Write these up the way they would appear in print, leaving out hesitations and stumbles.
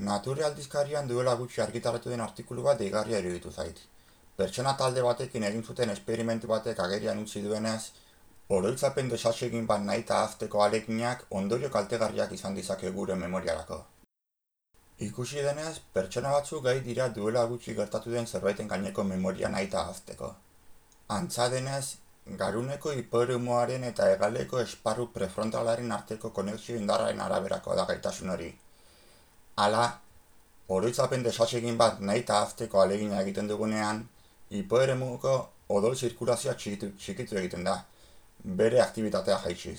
Nature aldizkarian duela gutxi argitaratu den artikulu bat deigarria iruditu zait. Pertsona talde batekin egin zuten esperimentu batek agerian utzi duenez, oroitzapen desasegin bat nahita ahazteko ahaleginak ondorio kaltegarriak izan dizake gure memoriarako. Ikusi denez, pertsona batzuk gai dira duela gutxi gertatu den zerbaiten gaineko memoria nahita ahazteko. Antza denez, garuneko hipoeremuaren eta hegaleko esparru prefrontalaren arteko konexio indarraren araberako da gaitasun hori. Hala, oroitzapen desasegin bat nahita ahazteko ahalegina egiten dugunean, hipoeremuko odol zirkulazioa txikitu egiten da, bere aktibitatea jaitsiz.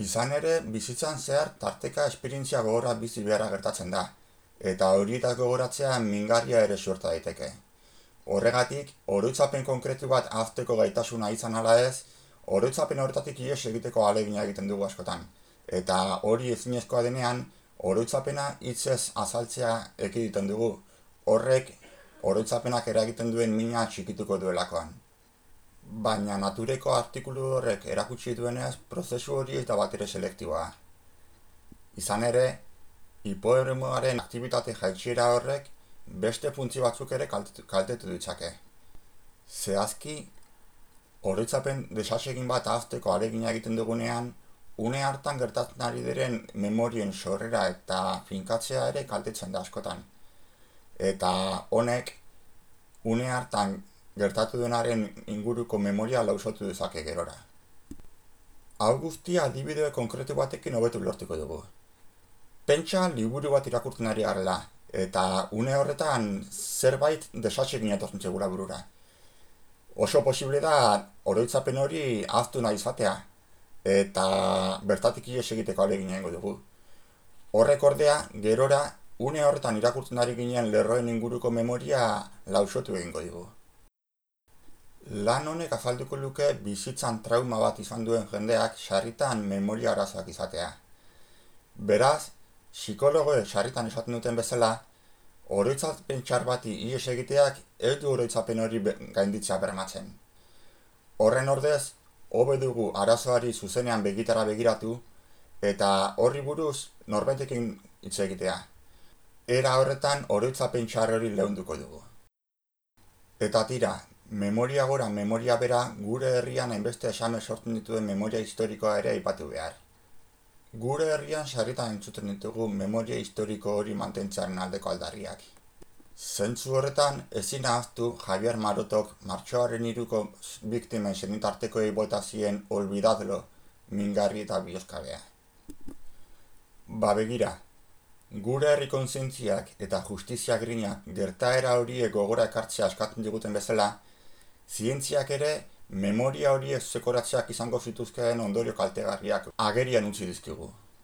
Izan ere, bizitzan zehar tarteka esperientzia gogorra bizi beharra gertatzen da, eta horietaz gogoratzea mingarria ere suerta daiteke. Horregatik, oroitzapen konkretu bat ahazteko gaitasuna izan ala ez, oroitzapen horretatik ihes egiteko ahalegina egiten dugu askotan, eta hori ezinezkoa denean, oroitzapena hitzez azaltzea ekiditen dugu, horrek oroitzapenak eragiten duen mina txikituko duelakoan. Baina natureko artikulu horrek erakutsi duenez, prozesu hori ez da batere selektiboa. Izan ere, hipoeremuaren aktibitate jaitsiera horrek beste funtzio batzuk ere kaltetu ditzake. Zehazki, oroitzapen desasegin bat ahazteko ahalegina egiten dugunean, une hartan gertatzen ari diren memorien sorrera eta finkatzea ere kaltetzen da askotan. Eta honek, une hartan gertatu denaren inguruko memoria lausotu dezake gerora. Hau guztia adibide konkretu batekin hobetu lortuko dugu. Pentsa liburu bat irakurtzen ari garela, eta une horretan zerbait desasegin etortzen zegula burura. Oso posible da oroitzapen hori ahaztu nahi izatea, eta bertatik ihes egiteko ahalegina egingo dugu. Horrek ordea, gerora, une horretan irakurtzen ari ginen lerroen inguruko memoria lausotu egingo dugu. Lan honek azalduko luke bizitzan trauma bat izan duen jendeak sarritan memoria arazoak izatea. Beraz, psikologoek sarritan esaten duten bezala, oroitzapen txar bati ihes egiteak ez du oroitzapen hori gainditzea bermatzen. Horren ordez, hobe dugu arazoari zuzenean begitara begiratu, eta horri buruz norbaitekin hitz egitea. Era horretan oroitzapen txar hori leunduko dugu. Eta tira, memoria gora, memoria bera, gure herrian hainbeste esame sortzen dituen memoria historikoa ere aipatu behar. Gure herrian sarritan entzuten ditugu memoria historiko hori mantentzearen aldeko aldarriak. Zentzu horretan, ezin ahaztu Javier Marotok martxoaren 3ko biktimen senitartekoei bota zien olvidadlo, mingarri eta bihozkabea. Begira, gure herri kontzientziak eta justizia grinak gertaera horiek gogora ekartzea eskatzen diguten bezala, zientziak ere memoria horiek zekoratzeak izango zituzkeen ondorio kaltegarriak agerian utzi dizkigu.